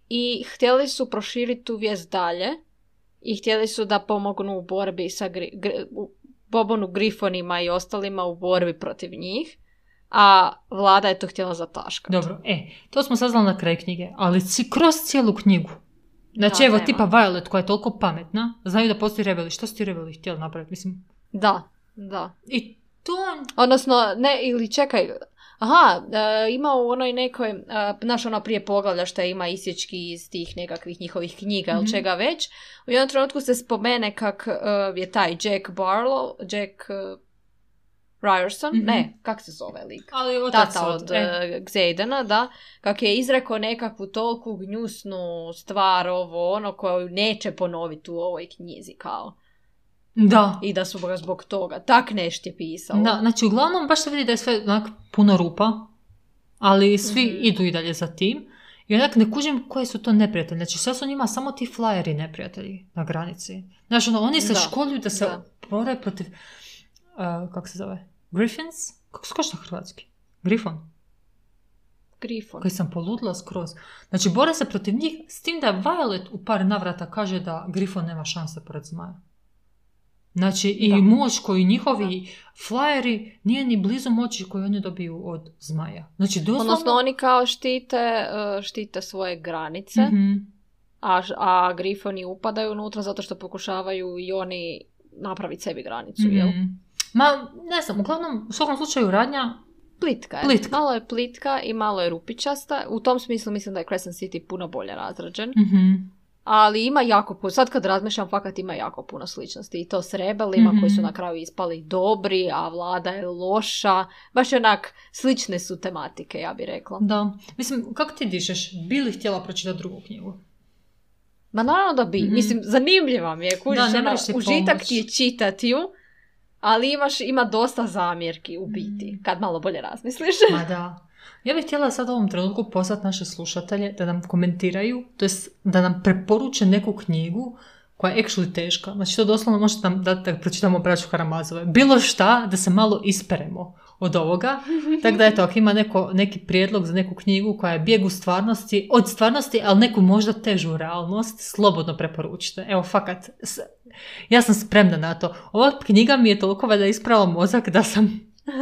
i htjeli su proširiti tu vijest dalje i htjeli su da pomognu u borbi sa pobunu grifonima i ostalima u borbi protiv njih, a vlada je to htjela zataškati. Dobro, to smo saznali na kraju knjige, ali kroz cijelu knjigu. Znači, evo, tipa Violet koja je toliko pametna, znaju da postoji rebeli. Što su ti rebeli htjeli napraviti? Mislim... Da. I to... Odnosno, ne, ili čekaj, ima u onoj nekoj, znaš ono prije poglavlja što ima isječki iz tih nekakvih njihovih knjiga ili čega već, u jednom trenutku se spomene kak je taj Jack Ryerson, kak se zove lik? Ali tata od Xaidena, da, kak je izrekao nekakvu toliku gnjusnu stvar koju neće ponoviti u ovoj knjizi, kao. Da. I da su ga zbog toga. Tak nešto je pisalo. Da, znači uglavnom baš se vidi da je sve onak puno rupa, ali svi idu i dalje za tim. I onak ne kužim koji su to neprijatelji. Znači sve su njima samo ti flyeri neprijatelji na granici. Znači oni se školuju da se bore protiv, kako se zove? Griffins? Kako se kaže na hrvatski? Grifon. Koji sam poludila skroz. Znači bore se protiv njih s tim da Violet u par navrata kaže da Grifon nema šanse pored zmaja. Znači, i moć koju njihovi flyeri nije ni blizu moći koju oni dobiju od zmaja. Znači, doslovno... Odnosno, oni kao štite svoje granice, a grifoni upadaju unutra zato što pokušavaju i oni napraviti sebi granicu, jel? Ma, ne znam, uglavnom, u svakom slučaju radnja... Plitka je. Malo je plitka i malo je rupičasta. U tom smislu mislim da je Crescent City puno bolje razrađen. Ali ima jako puno, sad kad razmišljam, fakat ima jako puno sličnosti. I to s rebelima koji su na kraju ispali dobri, a vlada je loša. Baš onak, slične su tematike, ja bih rekla. Da. Mislim, kako ti dišeš? Bi li htjela pročitati drugu knjigu? Ma naravno da bi. Mislim, zanimljiva mi je. Kužiš, užitak ti je čitati ju, ali ima dosta zamjerki u biti, kad malo bolje razmisliš. Ma da. Ja bih htjela sad u ovom trenutku poslati naše slušatelje da nam komentiraju, to jest da nam preporuče neku knjigu koja je actually teška. Znači to doslovno možete nam dati da pročitamo Braću Karamazove. Bilo šta da se malo isperemo od ovoga. Tako da eto, ako ima neki prijedlog za neku knjigu koja je bijeg od stvarnosti, ali neku možda težu realnost, slobodno preporučite. Evo, fakat, ja sam spremna na to. Ova knjiga mi je toliko da isprala mozak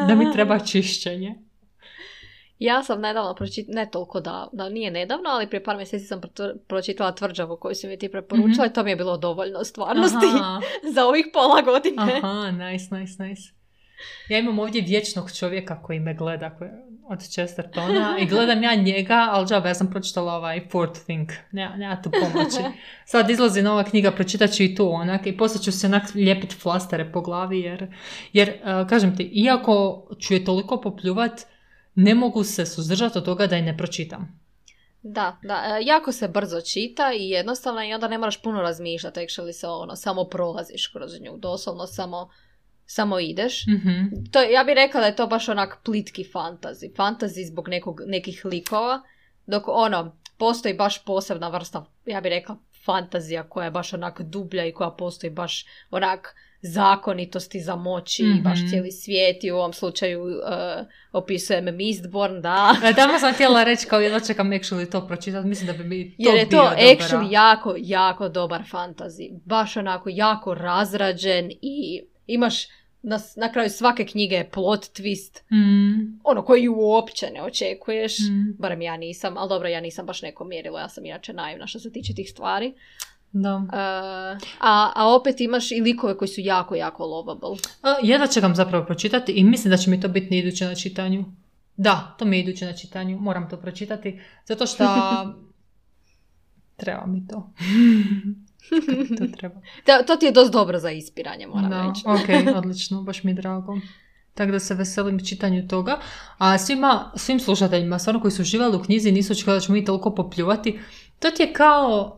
da mi treba čišćenje. Ja sam nedavno ne toliko da nije nedavno, ali prije par mjeseci sam pročitala Tvrđavu koju si mi ti preporučila i to mi je bilo dovoljno stvarnosti za ovih pola godine. Aha, nice. Ja imam ovdje vječnog čovjeka koji me gleda od Chestertona i gledam ja njega, ali džaba, ja sam pročitala ovaj Fourth Thing, nema tu pomoći. Sad izlazi nova knjiga, pročitat ću i tu onak i poslije ću se onak lijepiti flastere po glavi jer kažem ti, iako ću je toliko popljuvat, ne mogu se suzdržati od toga da je ne pročitam. Da, jako se brzo čita i jednostavno i onda ne moraš puno razmišljati, actually se samo prolaziš kroz nju, doslovno samo ideš. To, ja bih rekla da je to baš onak plitki fantasy zbog nekih likova, dok postoji baš posebna vrsta, ja bih rekla, fantazija koja je baš onak dublja i koja postoji baš onak zakonitosti za moći i baš cijeli svijet i u ovom slučaju opisujem Mistborn, da. Tamo sam htjela reći kao jedno čekam actually to pročitati, mislim da bi mi to bio jer je to actually jako, jako dobar fantasy. Baš onako jako razrađen i imaš na kraju svake knjige je plot twist, koji uopće ne očekuješ, barem ja nisam, ali dobro, ja nisam baš neko mjerilo, ja sam inače naivna što se tiče tih stvari. Da. A opet imaš i likove koji su jako, jako lovable. Jedva čekam zapravo pročitati i mislim da će mi to biti iduće na čitanju. Da, to mi je iduće na čitanju. Moram to pročitati. Zato što treba mi to. To treba. To ti je dosta dobro za ispiranje, moram reći. Ok, odlično. Baš mi je drago. Tako da se veselim čitanju toga. A svim slušateljima, stvarno koji su uživali u knjizi, nisu očekivali da ćemo mi toliko popljuvati. To ti je kao...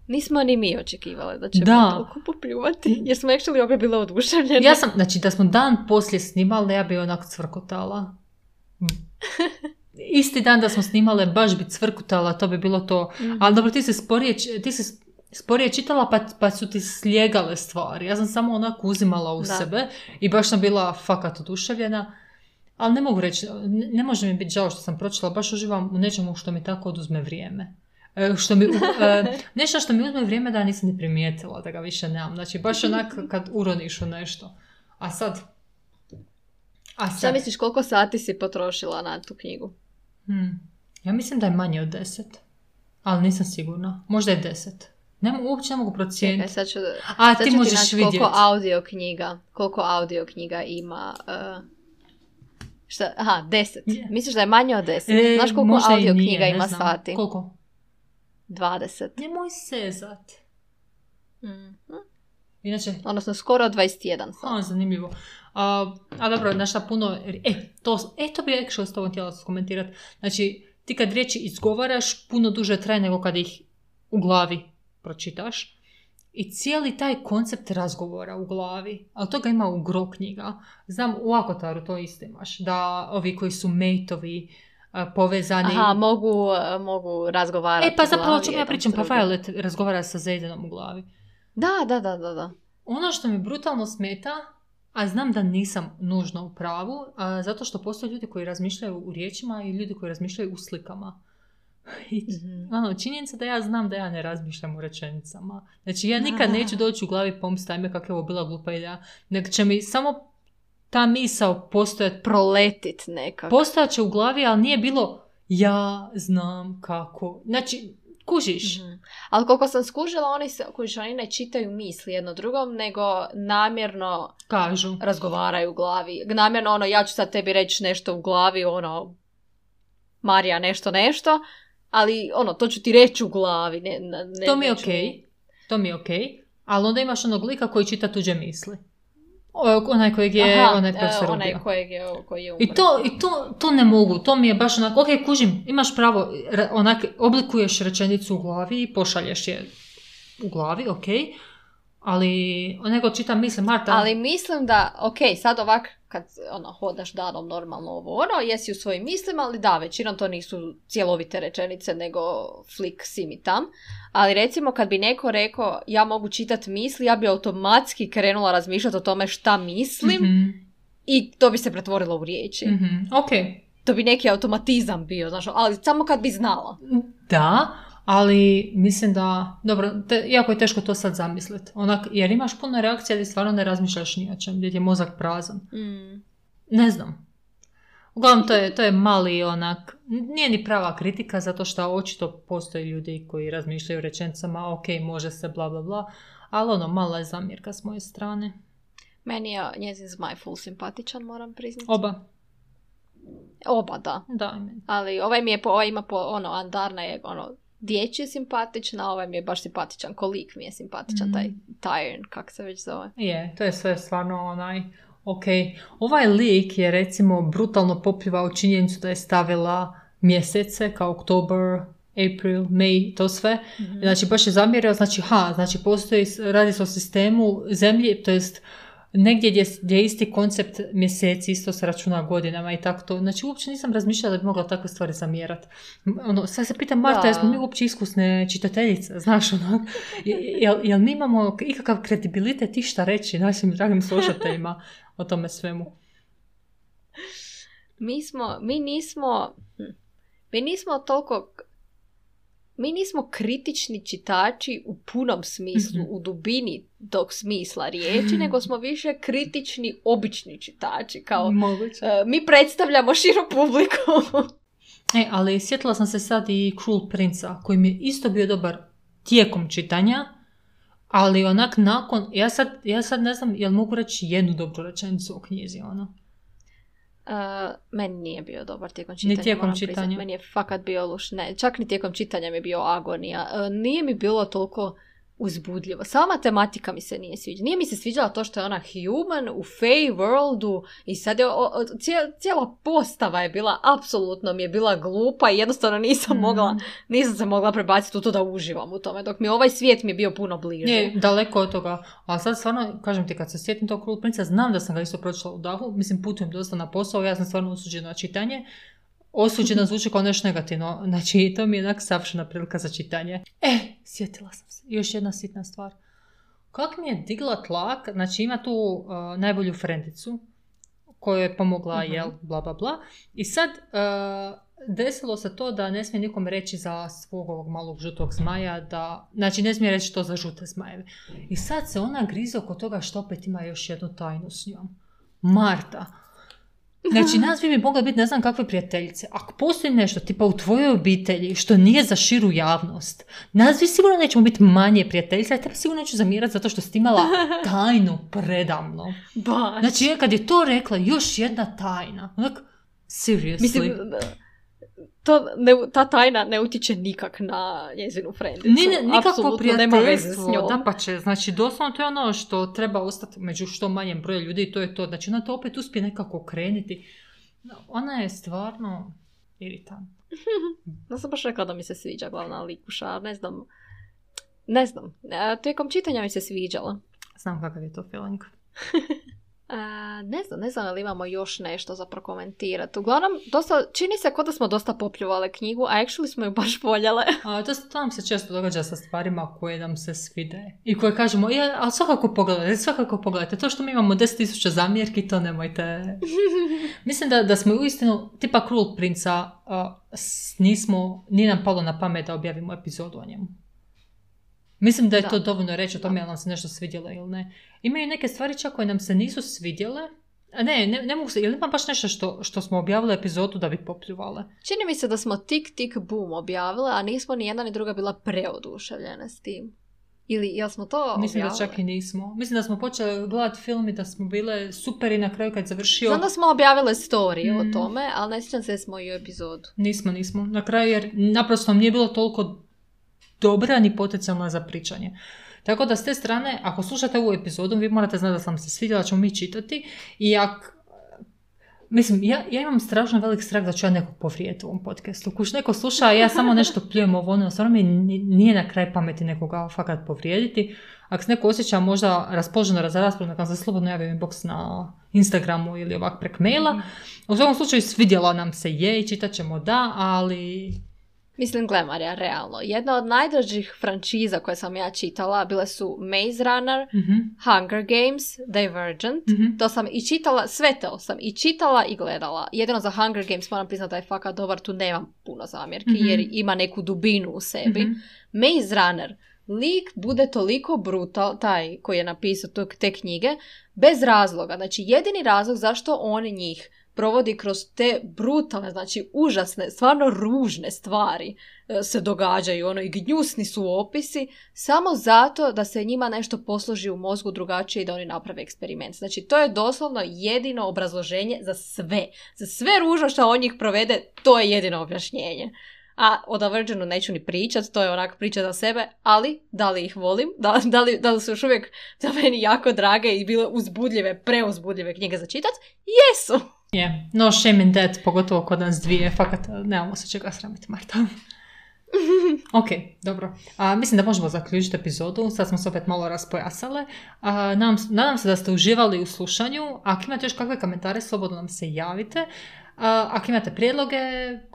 Nismo ni mi očekivali da ćemo toliko popljuvati, jer smo actually obje bile oduševljene. Ja sam, znači da smo dan poslije snimali, ja bi onak cvrkotala. isti dan da smo snimale, baš bi cvrkutala, to bi bilo to. Ali dobro, ti si sporije čitala, pa su ti slijegale stvari. Ja sam samo onako uzimala u sebe i baš sam bila fakat oduševljena. Ali ne mogu reći, ne može mi biti žao što sam pročitala, baš uživam u nečemu što mi tako oduzme vrijeme. Nešto što mi uzme vrijeme da nisam ni primijetila, da ga više nemam. Znači, baš onak kad uroniš u nešto. A sad... Šta misliš, koliko sati si potrošila na tu knjigu? Ja mislim da je manje od 10. Ali nisam sigurna. Možda je 10. Uopće ne mogu procijeniti. Sad ću ti možeš vidjeti. Koliko audio knjiga ima... 10. Yeah. Misliš da je manje od 10? Znaš koliko audio knjiga ima sati? Koliko? 20. Nemoj sezat. Inače... Odnosno skoro 21 sati. Zanimljivo. A dobro, znaš šta puno... To bi actually s tobom htjela komentirati. Znači, ti kad riječi izgovaraš, puno duže traje nego kad ih u glavi pročitaš. I cijeli taj koncept razgovora u glavi, ali toga ima u gro knjiga. Znam, u Akotaru to isto imaš, da ovi koji su mateovi, povezani... mogu razgovarati pa zapravo o čemu ja pričam, pa Violet razgovara sa Zaydenom u glavi. Da. Ono što mi brutalno smeta, a znam da nisam nužno u pravu, zato što postoje ljudi koji razmišljaju u riječima i ljudi koji razmišljaju u slikama. Činjenica da ja znam da ja ne razmišljam u rečenicama. Znači ja nikad neću doći u glavi pomst, ajme kako je ovo bila glupa ideja, nego će mi samo ta misao postojati, proletit nekako. Postojat će u glavi, ali nije bilo ja znam kako. Znači, kužiš. Ali koliko sam skužila, oni ne čitaju misli jedno drugom, nego namjerno kažu, razgovaraju u glavi. Namjerno ja ću sad tebi reći nešto u glavi, Marija nešto, ali to ću ti reći u glavi. To mi je okej. Ali onda imaš onog lika koji čita tuđe misli. Onaj kojeg je onaj profesor ubio. Koji je umro. I to ne mogu. To mi je baš onako, kužim, imaš pravo, oblikuješ rečenicu u glavi i pošalješ je u glavi, ali nego čita misli, Marta. Ali mislim da, sad ovak, kad hodaš danom normalno jesi u svojim mislima, ali da, većinom to nisu cjelovite rečenice, nego flik sim i tam. Ali recimo kad bi neko rekao ja mogu čitati misli, ja bi automatski krenula razmišljati o tome šta mislim i to bi se pretvorilo u riječi. To bi neki automatizam bio, znaš, ali samo kad bi znala. Da, ali mislim da, dobro, jako je teško to sad zamisliti. Jer imaš puno reakcija gdje stvarno ne razmišljaš ni o čem, gdje je mozak prazan. Ne znam. Uglavnom, to je mali nije ni prava kritika, zato što očito postoje ljudi koji razmišljaju rečenicama, može se, bla, bla, bla, ali mala je zamjerka s moje strane. Meni je njezin zmaj full simpatičan, moram priznati. Oba, da. Ali ovaj ima Andarna je dječji simpatična, ovaj mi je baš simpatičan, kolik mi je simpatičan, taj Tyrion, kak se već zove. To je sve stvarno Ovaj lik je recimo brutalno popljivao činjenicu da je stavila mjesece kao Oktober, April, May, to sve. Znači baš je zamjerio, znači postoji, radi se o sistemu zemlje, to jest negdje gdje je isti koncept mjeseci, isto se računa godinama i tako to. Znači, uopće nisam razmišljala da bi mogla takve stvari zamjerati. Sad se pitam, Marta, jesmo mi uopće iskusne čitateljice, znaš, jel mi imamo ikakav kredibilitet išta reći našim dragim slušateljima o tome svemu? Mi nismo kritični čitači u punom smislu, u dubini tog smisla riječi, nego smo više kritični obični čitači. Kao, mi predstavljamo širu publiku. Ali sjetila sam se sad i Cruel Prince-a, koji mi je isto bio dobar tijekom čitanja, ali nakon, ja sad ne znam, jel mogu reći jednu dobru rečenicu o knjizi, Meni nije bio dobar tijekom čitanja. Ni tijekom čitanja. Meni je fakat bio loš. Ne, čak ni tijekom čitanja mi je bio agonija. Nije mi bilo toliko uzbudljivo. Sama tematika mi se nije sviđala. Nije mi se sviđala to što je ona human u Fey worldu i sad je cijela postava je bila, apsolutno mi je bila glupa i jednostavno nisam se mogla prebaciti u to da uživam u tome. Dok mi ovaj svijet mi je bio puno bliže. Ne, daleko od toga. Ali sad stvarno, kažem ti, kad se sjetim tog Cruel Prince-a, znam da sam ga isto pročitala u dahu. Mislim, putujem dosta na posao, ja sam stvarno osuđena na čitanje. osuđena zvuči kao nešto negativno. Znači, to mi je onak savršena prilika za čitanje. Sjetila sam se. Još jedna sitna stvar. Kako mi je digla tlak, znači ima tu najbolju frendicu koju je pomogla, jel, bla, bla, bla. I sad desilo se to da ne smije nikom reći za svog ovog malog žutog zmaja, da, znači ne smije reći to za žute zmajeve. I sad se ona grize oko toga što opet ima još jednu tajnu s njom. Marta. Znači, nas bi mogla biti ne znam kakve prijateljice. Ako postoji nešto tipa u tvojoj obitelji što nije za širu javnost, nas vi sigurno nećemo biti manje prijateljice, a tebe sigurno neću zamirati zato što si imala tajnu predamno. Baš. Znači, kad je to rekla, još jedna tajna. Onak, seriously. Mislim, ta tajna ne utiče nikak na njezinu frendicu. Nikakvo prijateljstvo, dapače. Znači, doslovno to je ono što treba ostati među što manjem broju ljudi i to je to. Znači, ona to opet uspije nekako okrenuti. Ona je stvarno iritantna. Ja sam baš rekla da mi se sviđa glavna likuša, ne znam. Tijekom čitanja mi se sviđala. Znam kakav je to feeling. Ne znam ali imamo još nešto za prokomentirati. Uglavnom, čini se kao da smo dosta popljuvale knjigu, a actually smo ju baš voljele. To nam se često događa sa stvarima koje nam se svide. I koje kažemo, ali svakako pogledajte. To što mi imamo 10,000 zamjerki, to nemojte. Mislim da smo uistinu, tipa Cruel Princa, nije nam palo na pamet da objavimo epizodu o njemu. Mislim da je to dovoljno reći o tome jel nam se nešto svidjelo ili ne. Imaju neke stvari čak koje nam se nisu svidjele. Ne mogu se, ili ima baš nešto što smo objavili epizodu da bi popljuvale? Čini mi se da smo tik boom objavile, a nismo ni jedna ni druga bila preoduševljene s tim. Ili jel smo to objavile? Mislim da čak i nismo. Mislim da smo počeli gledati film i da smo bile super i na kraju kad završio... Znam da smo objavile story o tome, ali ne sjećam se da smo i u epizodu. Nismo. Na kraju jer naprosto nije bilo toliko dobra ni potencijalna za pričanje. Tako da s te strane, ako slušate ovu epizodu, vi morate znati da sam se svidjela, da ćemo mi čitati. I mislim, ja imam strašno velik strah da ću ja nekog povrijediti u ovom podcastu. Kuš neko sluša, ja samo nešto pljujem ovo, ono, stvarno mi nije na kraj pameti nekoga fakat povrijediti. Ako se neko osjeća možda raspoloženo za raspravu, neka se slobodno javi inbox na Instagramu ili ovak prek maila. U svakom slučaju svidjela nam se i čitat ćemo ali... Mislim, gle Marija, realno. Jedna od najdražih frančiza koje sam ja čitala bile su Maze Runner, Hunger Games, Divergent. To sam i čitala, sve to sam i čitala i gledala. Jedino za Hunger Games moram priznati da je fakat dobar, tu nemam puno zamjerki jer ima neku dubinu u sebi. Maze Runner, lik bude toliko brutal, taj koji je napisao te knjige, bez razloga. Znači, jedini razlog zašto on njih provodi kroz te brutalne, znači užasne, stvarno ružne stvari se događaju, i gnjusni su opisi, samo zato da se njima nešto posloži u mozgu drugačije i da oni naprave eksperiment. Znači, to je doslovno jedino obrazloženje za sve. Za sve ružno što on njih provede, to je jedino objašnjenje. A o Divergentu neću ni pričat, to je onak priča za sebe, ali da li ih volim, da li su još uvijek za meni jako drage i bile uzbudljive, preuzbudljive knjige za čitat? Jesu! No shame in that, pogotovo kod nas dvije, fakat nemamo se čega sramiti, Marta. Ok, dobro. Mislim da možemo zaključiti epizodu, sad smo se opet malo raspojasale. Nadam se da ste uživali u slušanju. Ako imate još kakve komentare, slobodno nam se javite. Ako imate prijedloge,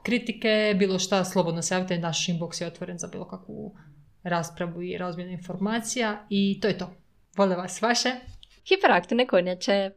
kritike, bilo šta, slobodno se javite. Naš inbox je otvoren za bilo kakvu raspravu i razmjenu informacija. I to je to. Vole vas vaše. Hiperaktivne kornjače.